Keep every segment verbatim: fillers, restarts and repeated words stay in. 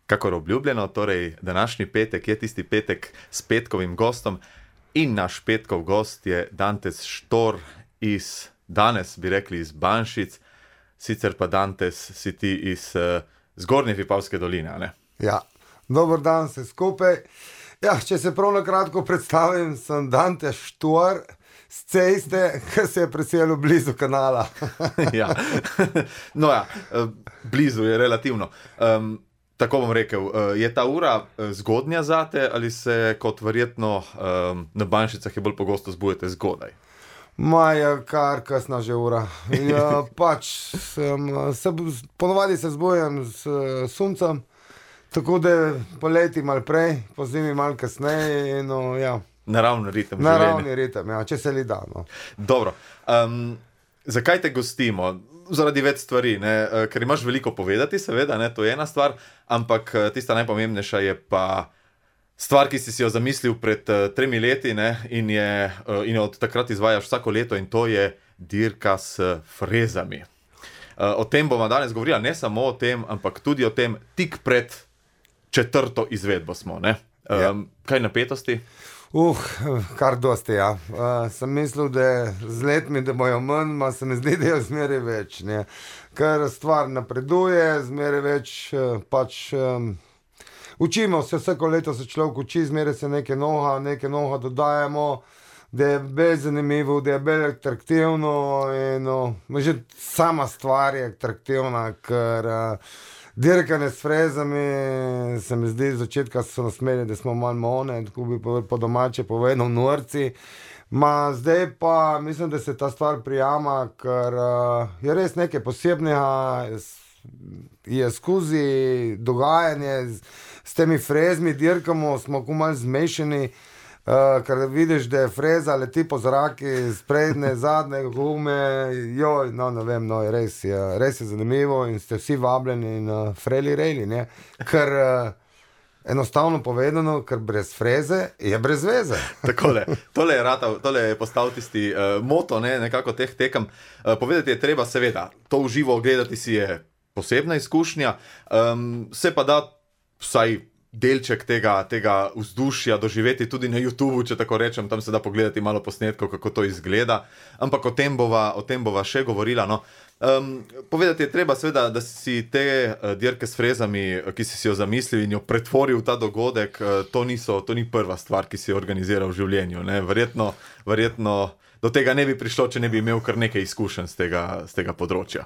Kakor obljubljeno, torej današnji petek je tisti petek s petkovim gostom in naš petkov gost je Dantes Štor iz, danes bi rekli iz Banšic, sicer pa Dantes si ti iz uh, Zgornje Vipavske doline, ne? Ja, dober dan se skupaj. Ja, če se prav na kratko predstavim, sem Dantes Štor z ceste, ki se je preselil blizu kanala. Ja, no ja, blizu je relativno. Um, Tako bom rekel, je ta ura zgodnja zate ali se kot verjetno um, na Banšicah je bolj pogosto zbujete zgodaj? Maja, kar kasna že ura. Ja, pač, sem, se, ponovadi se zbujam s suncem, tako da poleti malo prej, po zimi malo kasneje. No, ja. Naravni ritem. Naravni ritem, ja, če se li da. No. Dobro. Um, zakaj te gostimo? Zaradi več stvari, ne? Ker imaš veliko povedati, seveda, ne? To je ena stvar, ampak tista najpomembnejša je pa stvar, ki si si jo zamislil pred uh, tremi leti, ne? In, je, uh, in jo od takrat izvajaš vsako leto in to je dirka s frezami. Uh, o tem bomo danes govorili, ne samo o tem, ampak tudi o tem tik pred četrto izvedbo smo, ne? Um, ja. Kaj napetosti? Uh, kar dosti, ja. Uh, sem mislil, da z letmi, da bojo manj, ma se mi zdi, da je zmeraj več, ne. Ker stvar napreduje, zmeraj več, uh, pač, um, učimo se, vsako leto se človek uči, zmeraj se neke noha, neke noha dodajamo, da je bolj zanimivo, da je bolj atraktivno in, no, že sama stvar je atraktivna, ker uh, dirkanje s frezami, se mi zdi, z začetka so nas imeli, da smo malo mone, tako bi po domače povedal, norci. Ma zdaj pa mislim, da se ta stvar prijama, ker uh, je res nekaj posebnega, je skozi dogajanje s, s temi frezmi, dirkamo, smo ko malo zmešani, uh, ker vidiš, da je freza leti po zraki, sprednje, zadnje gume, joj, no ne vem, no, res je, res je zanimivo in ste vsi vabljeni in uh, freli rejli, ne, ker uh, enostavno povedano, ker brez freze je brez veze. Takole, tole je, rata, tole je postal tisti uh, moto, ne, nekako teh tekem. Uh, povedati je treba, seveda, to v živo gledati si je posebna izkušnja, um, se pa da vsaj delček tega, tega vzdušja doživeti tudi na YouTubeu, če tako rečem, tam se da pogledati malo posnetkov, kako to izgleda, ampak o tem bova, o tem bova še govorila, no. Um, povedati je treba seveda, da si te uh, dirke s frezami, ki si si jo zamislil in jo pretvoril v ta dogodek, uh, to, niso, to ni prva stvar, ki si jo organiziral v življenju, ne. Verjetno, verjetno do tega ne bi prišlo, če ne bi imel kar nekaj izkušenj z tega, z tega področja.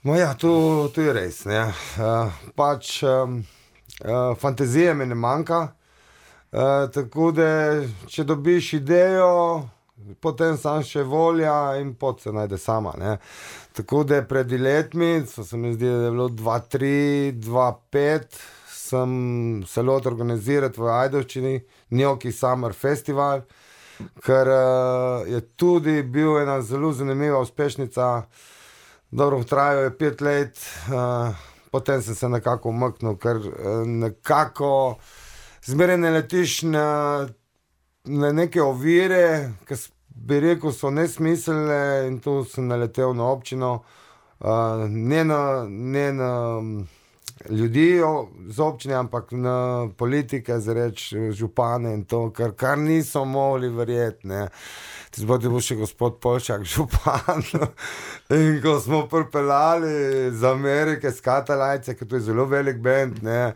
No ja, to, to je res, ne. Uh, pač... Um... Uh, fantazije mi ne manjka, uh, tako da če dobiš idejo, potem sam še volja in pot se najde sama, ne. Tako da pred letmi, so se mi zdi, da je bilo dva tri, dva pet, sem se lotil organizirati v Ajdovščini Gnocchi Summer Festival, ker uh, je tudi bil ena zelo zanimiva uspešnica, dobro trajajo je pet let, uh, potem sem se nekako umaknil, ker nekako zmeraj ne letiš na, na neke ovire, ki bi rekel, so nesmiselne in tu sem naletel na občino, uh, ne, na, ne na ljudi z občine, ampak na politike, zareč župane in to, kar, kar niso mogli verjeti, ne. Zbodi bo še gospod Polšak, župan. In ko smo pripeljali z Amerike, s Katalajce, ker to je zelo velik band, ne,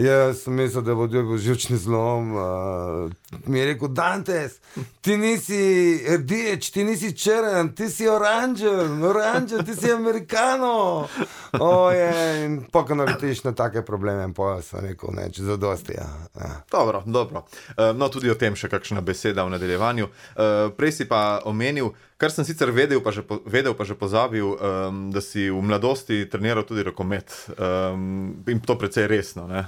jaz sem mislil, da bo dobil živčni zlom. Uh, mi je rekel, Dantes, ti nisi rdeč, ti nisi črn, ti si oranžen, oranžen, ti si Amerikano. Oje, in pokaj naletiš na take probleme, in pa sem rekel, ne, če zadosti, ja. ja. Dobro, dobro. Uh, no, tudi o tem še kakšna beseda v nadaljevanju. Uh, prej si pa omenil, kar sem sicer vedel, pa že, vedel, pa že pozabil, um, da si v mladosti treniral tudi rokomet. Um, in to precej resno, ne?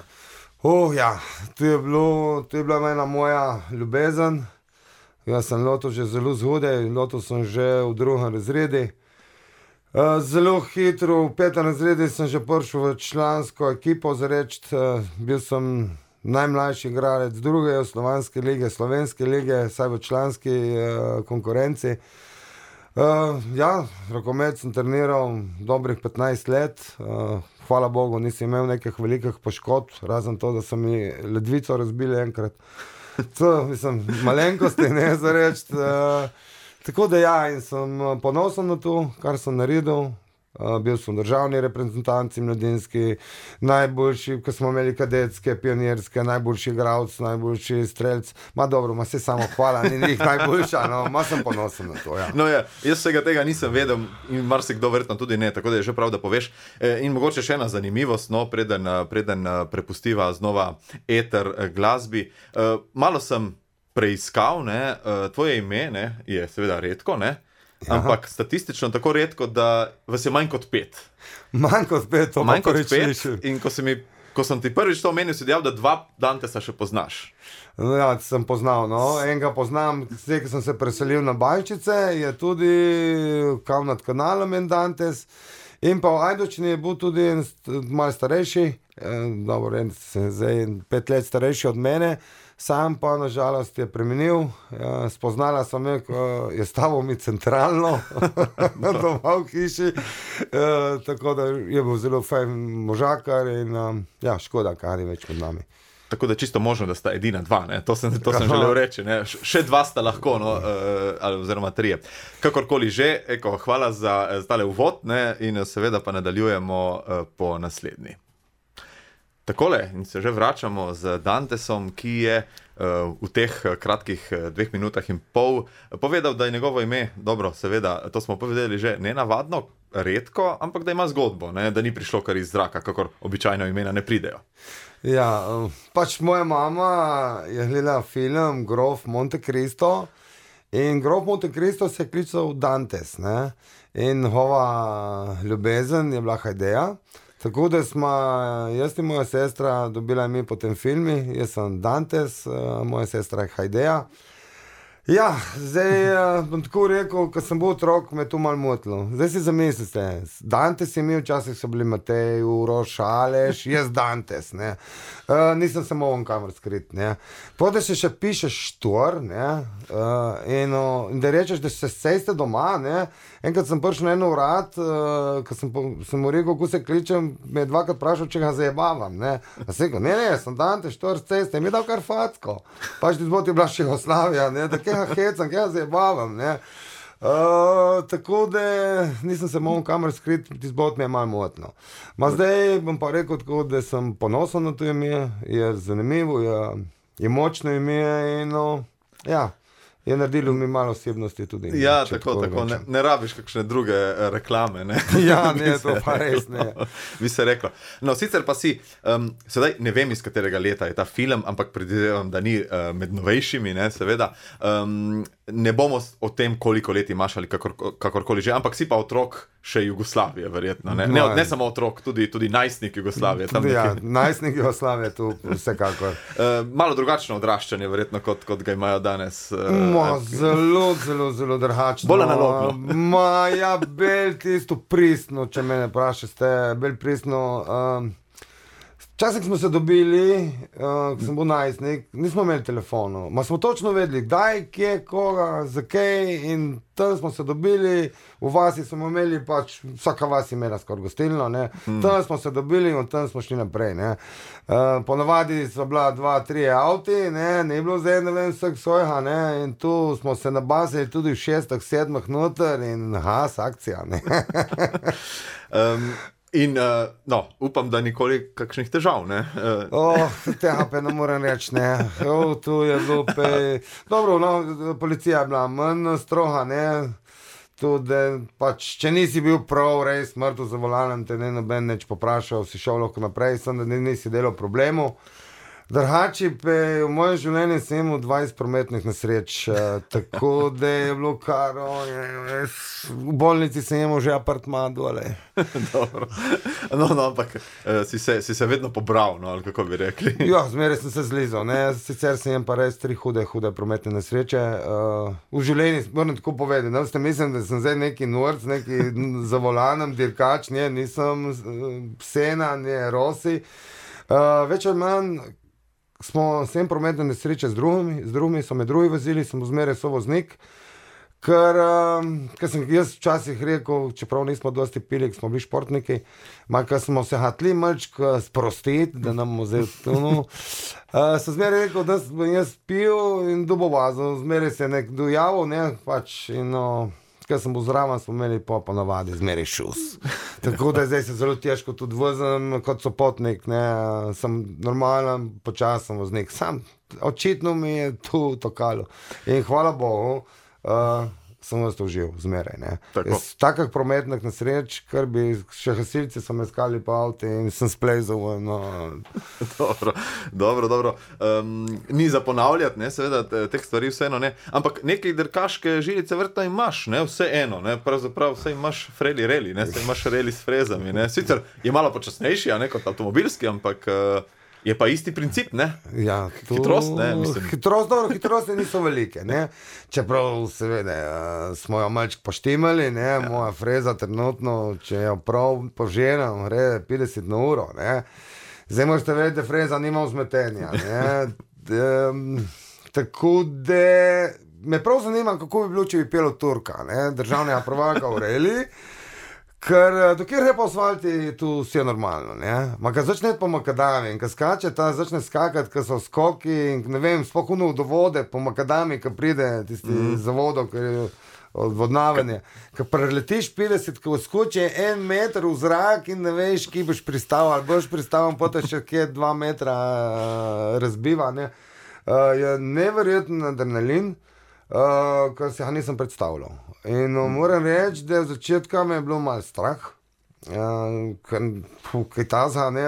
Oh, ja, to je bilo, to je bila ena moja ljubezen. Jaz sem lotil že zelo zgodaj, lotil sem že v drugem razredu. Uh, zelo hitro, v petem razredu sem že prišel v člansko ekipo, zareč, uh, bil sem najmlajši igralec druge slovanske lige, slovenske lige, saj v članski uh, konkurenci. Uh, ja, rokomet sem treniral dobrih petnajst let. Uh, hvala Bogu, nisem imel nekih velikih poškodb, razen to, da so mi ledvico razbili enkrat. To, mislim, malenkosti, ne za reči. Uh, tako da ja, in sem ponosen na to, kar sem naredil. Uh, bil sem v državni reprezentanci mladinski, najboljši, ko smo imeli kadetske, pionirske, najboljši igralec, najboljši strelec. Ma dobro, ma se samo hvala, ni njih najboljša, no, ma sem ponosen na to, ja. No ja, jaz vsega tega nisem vedel in marsikdo verjetno tudi ne, tako da je že prav, da poveš. E, in mogoče še ena zanimivost, no, preden, preden prepustiva znova eter glasbi. E, malo sem preiskal, ne, tvoje ime, ne, je seveda redko, ne, ampak ja. Statistično tako redko, da vas je manj kot pet. Manj kot pet, to manj kot pet. In ko, mi, ko sem ti prvič to omenil, si dejal, da dva Dantesa še poznaš. No, ja, sem poznal, no. Enega poznam, zdaj, ko sem se preselil na Bajčice, je tudi kam nad kanalom en Dantes. In pa v Ajdovščini je bil tudi en malo starejši, dobro, en, zdaj pet let starejši od mene. Sam pa nažalost je preminil, ja, spoznala sem me, ko je stavil mi centralno doma v hiši, e, tako da je bil zelo fajn možakar in um, ja, škoda, kaj ni več med nami. Tako da čisto možno, da sta edina dva, ne? To sem, to sem želel reči, ne? Še dva sta lahko, no, uh, oziroma trije. Kakorkoli že, eko, hvala za, za tale uvod, ne? In seveda pa nadaljujemo uh, po naslednji. Takole, in se že vračamo z Dantesom, ki je uh, v teh kratkih dveh minutah in pol povedal, da je njegovo ime, dobro, seveda, to smo povedali že nenavadno, redko, ampak da ima zgodbo, ne? Da ni prišlo kar iz zraka, kakor običajno imena ne pridejo. Ja, pač moja mama je gledala film Grof Monte Cristo in Grof Monte Cristo se je klical Dantes, ne? In njegova ljubezen je bila Hajdeja. Tako da smo, jaz in moja sestra dobila ime po tem filmu, jaz sem Dantes, moja sestra je Hajdeja. Ja, zdaj bom tako rekel, ko sem bil otrok, me je to malo motilo. Zdaj si zamislite, Dantes je imel, včasih so bili Matej, Uroš, Aleš, jaz Dantes, ne. Uh, nisem se mogel kamor skrit, ne. Potem se še pišeš Štor, ne, uh, in, uh, in da rečeš, da se sejste doma, ne. Enkrat sem prišel na eno urad, uh, ko sem, sem mu rekel, ko se kličem, me je dvakrat vprašal, če ga zajebavam, ne. A se rekel, ne, ne, sem Dantes, Štor, ceste, mi je dal kar facko. Pač ti zboti je bila še Jugoslavija, ne, da kega hecam, kega zajebavam, ne. Uh, tako da nisem se mogel kamor skriti, ti zbot mi je malo motno. Ma zdaj bom pa rekel tako, da sem ponosen na to ime, je zanimivo, je, je močno ime in no, ja. Je naredilo mi malo osebnosti tudi. Ja, tako, tako, ne, ne rabiš kakšne druge reklame, ne? Ja, ne, to pa res ne. Bi se reklo. No, sicer pa si, um, sedaj ne vem, iz katerega leta je ta film, ampak predvidevam, da ni uh, med novejšimi, ne, seveda. Um, ne bomo o tem, koliko let imaš ali kakor, kakorkoli že, ampak si pa otrok še Jugoslavije, verjetno, ne? Ne, ne samo otrok, tudi, tudi najstnik Jugoslavije. Tam ja, nekaj... najstnik Jugoslavije, tu vsekakor. Uh, malo drugačno odraščanje, verjetno, kot, kot ga imajo danes. Uh, Ma, zelo, zelo, zelo drugačno. Bolj analogno. Ma, ja, bolj tisto pristno, če me ne vprašate, bolj pristno. Um, Včasih smo se dobili, uh, ko sem bil najstnik, nismo imeli telefonov, ma smo točno vedeli, kdaj, kje, koga, zakaj in tam smo se dobili, v vasi smo imeli pač, vsaka vas imela skoraj gostilno, ne, hmm. Tam smo se dobili in tam smo šli naprej, ne. Uh, ponavadi so bila dva, tri avti, ne, ne bilo zdaj, ne vem, vseh svojega, ne, in tu smo se nabasili tudi v šestih, sedmih noter in aha, akcija, ne. um. In, uh, no, upam, da nikoli kakšnih težav, ne? Uh. Oh, tega pa ne morem reči, ne. Oh, tu je bilo pe... Dobro, no, policija je bila manj stroga, ne. Tudi, pač, če nisi bil prav, res mrtev za volanom, te ne noben neč poprašal, si šel lahko naprej, sem da nisi delal problemu. Drugače pa v mojem življenju sem imel dvajset prometnih nesreč, tako da je bilo kar, v bolnici sem imel že apartma dole. Dobro, no, no, ampak si se, si se vedno pobral, no, ali kako bi rekli. Ja, zmeraj sem se zlizal, ne, sicer sem imel pa res tri hude, hude prometne nesreče. Uh, v življenju, moram tako povedati, ne, ste mislim, da sem zdaj neki norc, neki za volanom, dirkač, ne, nisem psena, ne, rosi. Uh, več ali manj, smo sem prometne nesreče z drugimi, z drugimi so me drugi vozili, sem zmeraj sovoznik, Ker, um, ker sem jaz včasih rekel, čeprav nismo dosti pili, smo bili športniki, ker smo se hatli malček sprostiti, da nam vzeli tunu. Uh, sem zmeraj rekel, da sem jaz pil in dubo vazo, zmeraj se je nek dojavil, ne, pač, in no, ker sem bil zraven, smo imeli pa ponavadi zmeraj šus. Tako da zdaj se zelo težko tudi vozim kot sopotnik, ne, sem normalen, počasen voznik, sam očitno mi je tu tokalo. In hvala Bogu, Uh, sem vas to užil, zmeraj. Takih prometnih nesreč, kar bi še gasilci so me skali po avtu in sem splezal. No. dobro, dobro. dobro. Um, ni za ponavljati, ne, seveda, teh stvari vseeno ne. Ampak nekaj dirkaške žilice vrta imaš, ne, vseeno, ne, pravzaprav vse imaš freli reli, ne, vse imaš reli s frezami, ne. Sicer je malo počasnejši, a ne, kot avtomobilski, ampak uh, je pa isti princip, ne? Ja, to... Hitrost, ne, mislim. Hitrost, dobro, hitrosti niso velike, ne? Čeprav, seveda, smo jo malček poštimali, ne? Ja. Moja freza trenutno, če jo prav poženem, gre petdeset na uro, ne? Zdaj možete vedeti, da freza nima vzmetenja, ne? um, tako da me prav zanima, kako bi bilo, če bi pelo Turka, ne? Državnega prvaka v reli. Ker dokjer je po asfalti, tu vse je normalno, ne? Ma kad začne po makadami in kad skače, ta začne skakati, kad so skoki in ne vem, spokojno do vode po makadami, kad pride tisti mm. za vodo, ker je odvodnavanje. Kad preletiš petdeset, kad skoči en meter v zrak in ne veš, ki boš pristal, ali boš pristal, potem še kje dva metra uh, razbiva, ne? Uh, je neverjeten adrenalin, uh, kar si ga nisem predstavljal. In no, moram reči, da v začetku me je bilo malo strah, uh, kaj taza, ne,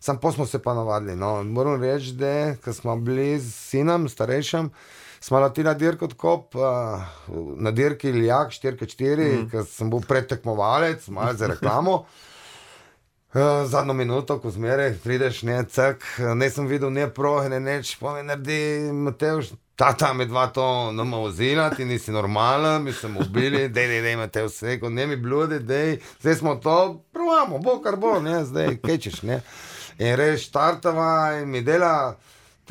sam pa smo se pa navadili, no, moram reči, da, ko smo bili s sinom, starejšim, smo leteli na dirko odkop, uh, na dirki Lijak štiri štiri, mm. ker sem bil predtekmovalec, malo za reklamo, uh, zadnjo minuto, ko zmeraj prideš, ne, cek, ne sem videl, ne prohe, ne neč, pa me naredi Matevž, tata me dva to nama vozila, ti nisi normalen, mi smo ubili, dej, dej, dej, Matevž vse, ko ne mi bludi, dej, zdaj smo to, provamo, bo kar bo, ne, zdaj, kečeš, ne. In reš, štartava in mi dela,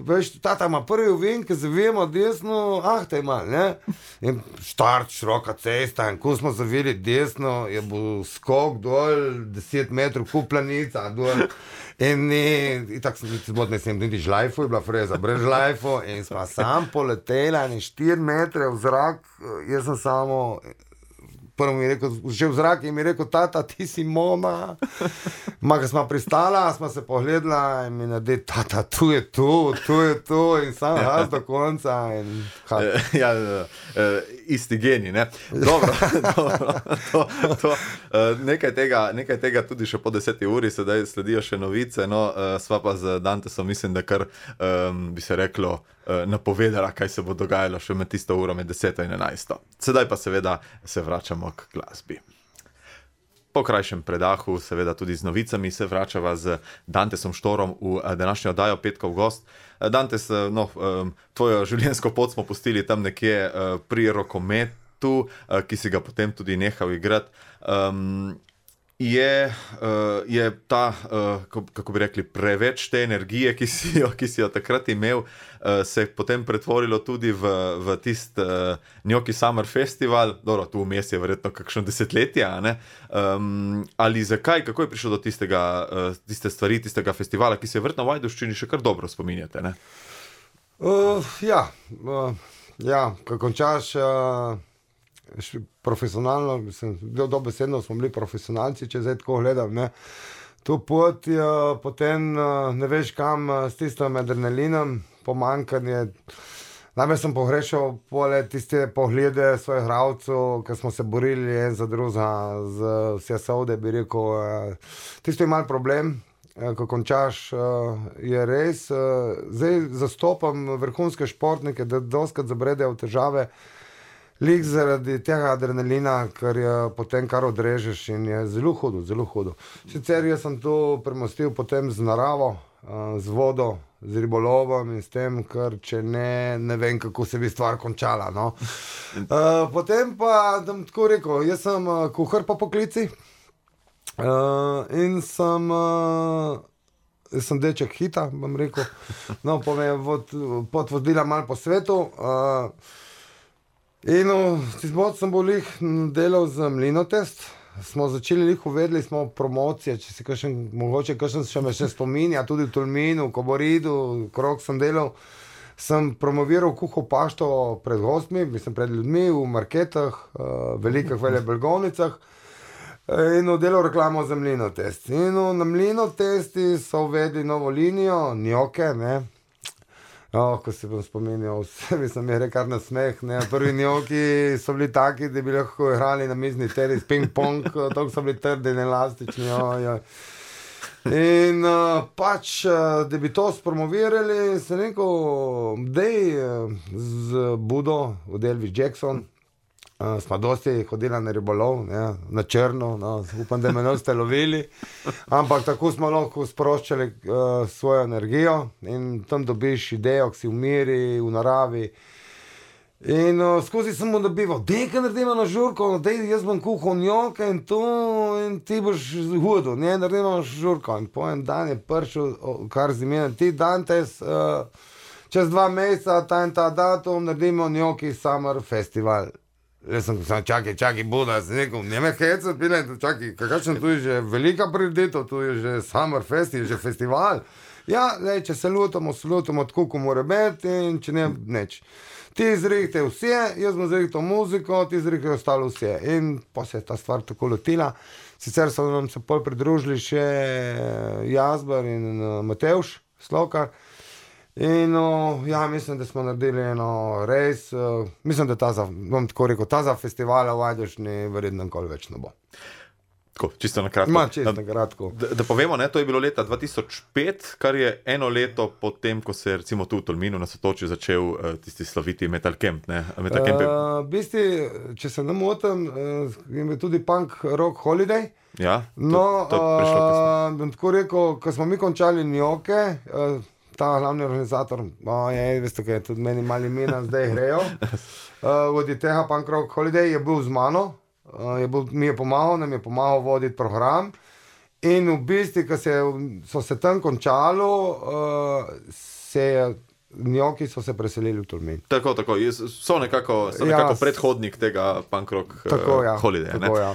veš, tata ima prvi ovink, ki zavijemo desno, ah, te ima, ne. In štart, široka cesta, in ko smo zavili desno, je bil skok dol, deset metrov, kuplanica, dol. In ni, tako sem niti zbod, ne sem niti žlajfu, je bila freza brez žlajfu in sva sam poletela in štiri metre v zrak, jaz sem samo, prvo mi je rekel, že v zrak in mi je rekel, tata, ti si Mona. Ma, ko smo pristala, smo se pogledala in mi naredi, tata, tu je tu, tu je tu in sam raz do konca. In, ja, isti geni, ne? Dobro, dobro. To, to, nekaj, tega, nekaj tega tudi še po deseti uri, sedaj sledijo še novice, no, sva pa z Dantesom, mislim, da kar um, bi se reklo, napovedala, kaj se bo dogajalo še med tisto uro, med deseto in enajsto. Sedaj pa seveda se vračamo k glasbi. Po krajšem predahu, seveda tudi z novicami, se vračava z Dantesom Štorom v današnjo oddajo Petkov gost. Dantes, no, tvojo življenjsko pot smo pustili tam nekje pri rokometu, ki si ga potem tudi nehal igrati. Um, Je, uh, je ta, uh, kako bi rekli, preveč te energije, ki si jo, ki si jo takrat imel, uh, se je potem pretvorilo tudi v, v tist uh, Gnocchi Summer Festival, dobro, tu vmes je verjetno kakšno desetletje, a ne? Um, ali zakaj, kako je prišlo do tistega, uh, tiste stvari, tistega festivala, ki se je verjetno v Ajdovščini še kar dobro spominjate, ne? Uh, ja, uh, ja, ko končaš... Uh... profesionalno, mislim, dobesedno smo bili profesionalci, če zdaj tako gledam, ne. To pot je potem, ne veš kam, s tistim adrenalinom, pomankanje. Najbolj sem pogrešal pole tiste poglede svojih igralcev, ki smo se borili en za druga, z vse sode, bi rekel. Tisto je mal problem, ko končaš, je res. Zdaj zastopam vrhunske športnike, da doskrat zabredejo v težave, lik zaradi tega adrenalina, ker je potem kar odrežeš in je zelo hudo, zelo hudo. Sicer jaz sem to premostil potem z naravo, z vodo, z ribolovom in s tem, ker če ne, ne vem, kako se bi stvar končala, no. Uh, potem pa, da bom tako rekel, jaz sem kuhar po poklici uh, in sem, uh, jaz sem deček hita, bom rekel, no, pa me je vod, pot vodila malo po svetu, uh, In tistbod sem bil lih delal z Mlinotest, smo začeli lih uvedli smo promocije, če si kakšen, mogoče kakšen še me še spominja, tudi v Tolminu, v Koboridu, krog sem delal, sem promoviral kuho pašto pred gostmi, mislim pred ljudmi, v marketah, velikih velebelgovnicah in delal reklamo za Mlinotest. In na Mlinotesti so uvedli novo linijo, njoke, ne. Oh, ko si bom spominjal, vse mi sem je rekar na smeh, ne, prvi njoki so bili taki, da bi lahko igrali na mizni tenis, ping-pong, toliko so bili trdi in elastični, oj, oj. In uh, pač, da bi to spromovirali, sem rekel, dej z Budo, od Elvis Jackson, Uh, smo dosti hodili na ribolov, ne, na črno, no, upam, da me ne ste lovili, ampak tako smo lahko sproščali uh, svojo energijo in tam dobiš idejo, ki si v miri, v naravi. In uh, skozi sem mu dobival, dej, kaj naredimo na žurko, dej, jaz bom kuhal njoke in to, in ti boš hodil, ne, naredimo žurko. In po en dan je prišel, kar zimena, ti Dantes, uh, čez dva meseca, ta in ta datum, naredimo njoki Summer Festival. Jaz sem sam, čakaj, čakaj, Buda, sem rekel, ne me hecat, pile, čakaj, kakšen tu je že velika prireditev, tu je že Summer Fest, je že festival. Ja, lej, če se lutamo, se lutamo tako, ko mora biti in če ne, neč. Ti izrihte vse, jaz bom zrihtel muziko, ti izrihte ostalo vse. In pa se je ta stvar tako lotila. Sicer so nam se pol pridružili še Jazber in Matevž Slokar. In uh, ja, mislim, da smo naredili eno res, uh, mislim, da ta za, bom tako rekel, ta za festivala v Ajdovščini verjetno nikoli več ne bo. Tako, čisto na kratko. Ma, čisto na kratko. Da, da povemo, ne, to je bilo leta dva tisoč pet, kar je eno leto potem, ko se je recimo tu v Tolminu na Sotočju začel uh, tisti slaviti Metal Camp, ne? Metal Camp je... uh, v bistvu, če se ne motim, uh, je tudi Punk Rock Holiday. Ja, to, no, to je prišlo kasneje. Uh, bom tako rekel, ko smo mi končali njoke, uh, ta glavni organizator, oh, je, veste, kaj, tudi meni mali mina zdaj grejo, uh, vodi tega Punk Rock Holiday, je bil z mano, uh, je bil, mi je pomagal, nam je pomagal voditi program in v bistvu, ko se, so se tam končalo, uh, se njoki so se preselili v Tolmin. Tako, tako, so nekako, so nekako ja, predhodnik tega Punk Rock tako, ja, Holiday. Tako, ja.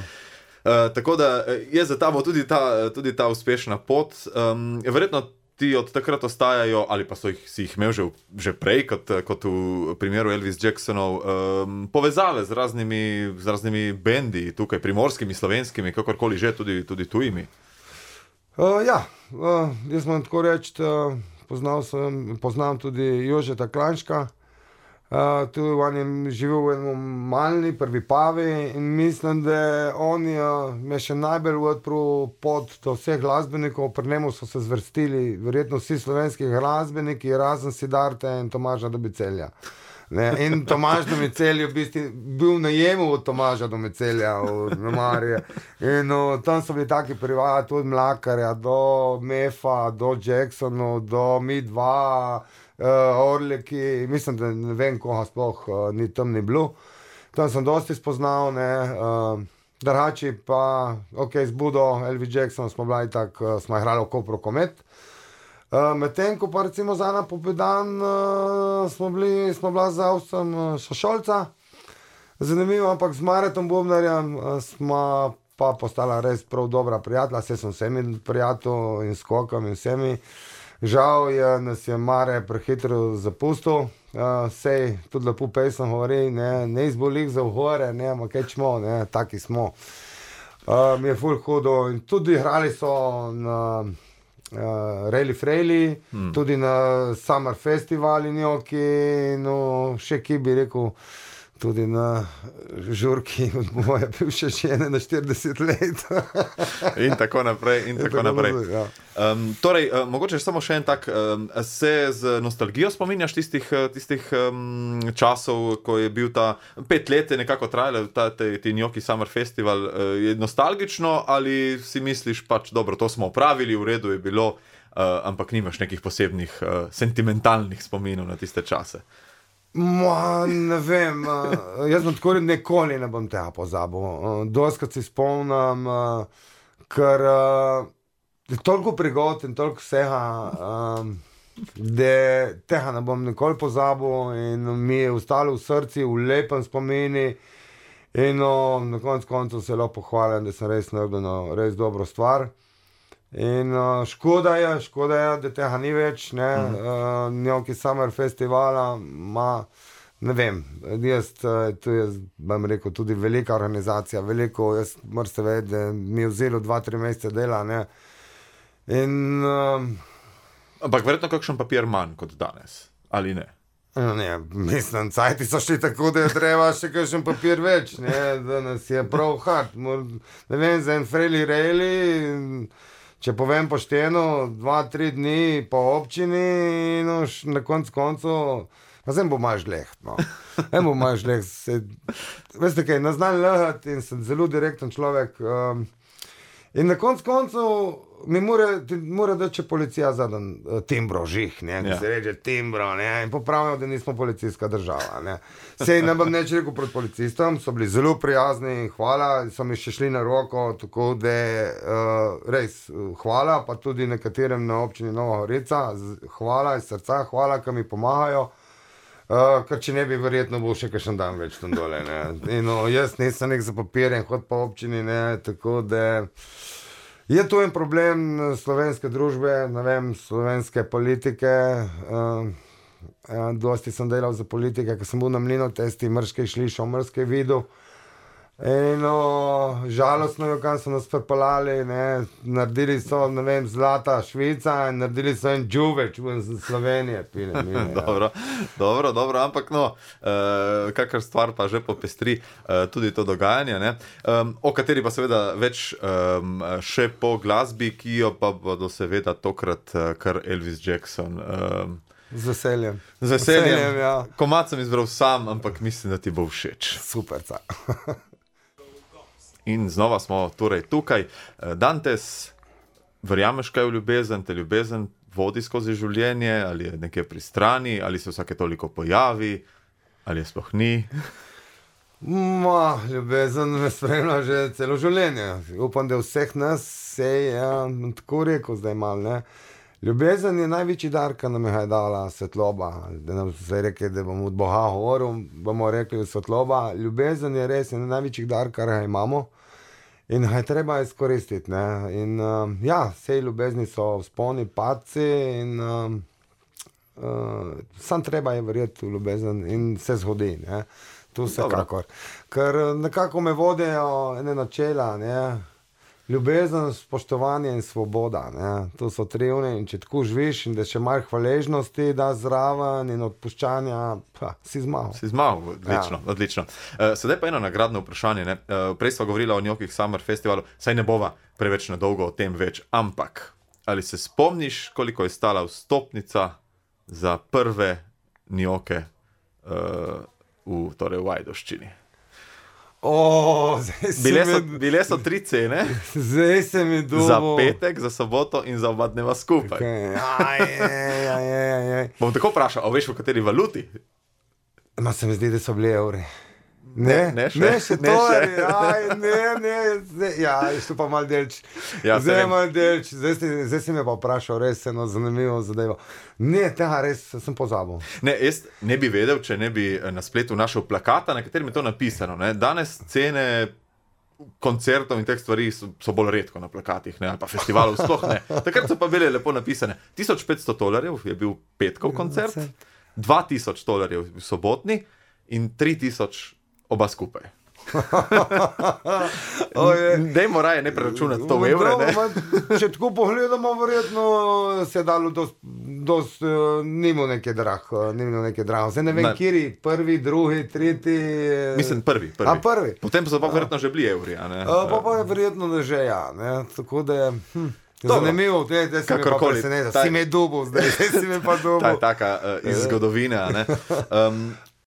Uh, tako da je za tabo tudi ta, tudi ta uspešna pot. Um, verjetno ti od takrat ostajajo, ali pa so jih, si jih imel že, že prej, kot, kot v primeru Elvis Jacksonov, um, povezave z raznimi, z raznimi bendi, tukaj primorskimi, slovenskimi, kakorkoli že, tudi, tudi tujimi. Uh, ja, uh, jaz moram tako reči, uh, poznal sem, poznam tudi Jožeta Klanška, uh, tu on je živel v enem malni prvi pavi in mislim, da on je me še najbolj odprl pot do vseh glasbenikov, pri njemu so se zvrstili verjetno vsi slovenski glasbeniki, razen Sidarte in Tomaža Dobicelja. Ne, in Tomaž Domicelj je v bistvu bil najemu od Tomaža Domicelja v Marije. In o, tam so bili taki privati od Mlakarja do Mefa, do Jacksonu, do Mi dva, uh, Orleki, mislim, da ne vem, koga sploh uh, ni tam ni bilo. Tam sem dosti spoznal, ne, uh, drugače pa, ok, z Budo, Elvis Jackson smo bili tak, uh, smo igrali v Kopru Komet. Uh, Medtem, ko pa recimo za ena popedan uh, smo bili, smo bila z Avsem uh, Šošolca, zanimivo, ampak z Maretom Bobnarjem uh, smo pa postala res prav dobra prijatelja, vse sem vsemi prijatelj in skokam in vsemi. Žal je, nas je Mare prehitro zapustil, uh, sej tudi lepo pesem govori, ne, ne izbolih za vhore, ne, ampak kaj čmo, ne, taki smo. Uh, mi je ful hudo in tudi igrali so na Uh, Reli Frejli, hmm. tudi na Summer Festivali njoki, no še ki bi rekel, tudi na žurki od moje bivše žene na štirideset let. In tako naprej, in tako naprej. Ja. Um, torej, uh, mogoče samo še en tak, um, se z nostalgijo spominjaš tistih, tistih um, časov, ko je bil ta pet let je nekako trajalo, ta te, ti njoki Summer Festival, uh, je nostalgično ali si misliš pač, dobro, to smo opravili, v redu je bilo, uh, ampak nimaš nekih posebnih uh, sentimentalnih spominov na tiste čase? Ma, ne vem, uh, jaz bom tako nikoli ne bom tega pozabil. Uh, Doskrat si spomnim, uh, ker uh, je toliko prigod in toliko vsega. Um, da tega ne bom nikoli pozabil in mi je ostalo v srcu, v lepem spomini. In no, na koncu koncev se lahko pohvalim, da sem res naredil no, res dobro stvar. In uh, škoda je, škoda je, da tega ni več, ne, mm. uh, Gnocchi Summer Festivala ima, ne vem, jaz, tu je, bom rekel, tudi velika organizacija, veliko, jaz moram se vedeti, da mi je vzelo dva, tri mesece dela, ne. In... Uh, Ampak verjetno kakšen papir manj kot danes, ali ne? Ne, mislim, cajti so šli tako, da je treba še kakšen papir več, ne, danes je prav hard, Mor, ne vem, za en freli rejli, če povem pošteno, dva, tri dni po občini, no, na koncu koncu, pa zdaj bo malo žleht, no, zdaj bo malo žleht, se, veste kaj, ne znam lehati in sem zelo direkten človek, um, in na koncu koncu, mi mora, mora da če policija zadan timbro žih, ne, ja. Se reče timbro, ne, in popravijo, da nismo policijska država, ne. Sej ne bom neč rekel proti policistom, so bili zelo prijazni, hvala, so mi še šli na roko, tako da, uh, res, hvala, pa tudi nekaterim na občini Nova Gorica, hvala iz srca, hvala, ki mi pomagajo, uh, ker če ne bi verjetno bo še kakšen dan več tam dole, ne. In no, jaz nisem nek za papirjem, hod po občini, ne, tako da... Je to en problem slovenske družbe, ne vem, slovenske politike. Uh, uh, dosti sem delal za politike, ko sem bil na Mlinotesti, mrškej šlišal, mrškej videl. In no, žalostno je, kam so nas prepalali, ne, naredili so, ne vem, zlata Švica in naredili so en džuveč v Slovenije. Pine, mine, dobro, dobro, dobro, ampak no, uh, kakor stvar pa že popestri uh, tudi to dogajanje, ne, um, o kateri pa seveda več um, še po glasbi, ki jo pa bodo seveda tokrat uh, kar Elvis Jackson. Um, Z veseljem. Z veseljem, veseljem ja. Komad sem izbral sam, ampak mislim, da ti bo všeč. Super, ca. In znova smo torej tukaj. Dantes, verjameš kaj v ljubezen, te ljubezen vodi skozi življenje, ali je nekje pri strani, ali se vsake toliko pojavi, ali je sploh ni? Ma, ljubezen me spremlja že celo življenje. Upam, da vseh nas se je ja, tako rekel zdaj mal, ne. Ljubezen je največji dar, ki nam je dala svetloba. Da nam se reče, da bomo od Boga govoril, bomo rekli svetloba. Ljubezen je res en največji dar, kar ga imamo. In ga je treba izkoristiti, ne. In uh, ja, vse ljubezni so vzponi, padci in uh, uh, sam treba je verjeti v ljubezen in se zgodi, ne. To vsekakor. Ker nekako me vodijo ene načela, ne. Ljubezen, spoštovanje in svoboda, ne. To so tri one in če tako živiš in da še malo hvaležnosti da zraven in odpuščanja, pa si zmagal. Si zmagal, odlično, ja. odlično. Uh, sedaj pa eno nagradno vprašanje, ne. Uh, prej sva govorila o Gnocchi Summer Festivalu, saj ne bova preveč nedolgo o tem več, ampak ali se spomniš, koliko je stala vstopnica za prve Gnocche uh, v, torej v Ajdovščini? O, bile, so, me... bile so tri cene. Zdaj se mi dobo. Za petek, za soboto in za oba dneva skupaj. Okay. Aj, aj, aj, aj, aj. Bom tako vprašal, a veš v kateri valuti? Ma se mi zdi, da so bili evri. Ne, ne, ne še, ne še ne to, še. Aj, ne, ne, zdaj, ja, što pa mal delč. Ja, zdaj je mal delč, zdaj, zdaj si me pa vprašal, res eno zanimivo zadevo. Ne, tega res sem pozabil. Ne, jaz ne bi vedel, če ne bi na spletu našel plakata, na katerem je to napisano, ne. Danes cene koncertov in teh stvari so, so bolj redko na plakatih, ne, ali pa festivalov sploh ne. Takrat so pa bile lepo napisane. tisoč petsto dolarjev je bil petkov koncert, dva tisoč dolarjev v sobotni in tri tisoč oba skupaj. Dajmo raje ne preračunati to v evre, ne? Če tako pogledamo, verjetno se je dalo dost, dost uh, nimo neke drah, uh, nimo neke drah. Zdaj ne vem, kjeri, prvi, drugi, tretji... Mislim, prvi, prvi. A, prvi. Potem so pa verjetno že bili evri, a ne? Uh, pa pa je verjetno da že, ja, ne? Tako da je... Hm. Zanimivo, da si me pa preseneča, si me dubo zdaj, si me pa dubo. Ta je taka uh, iz zgodovine, ne. Um,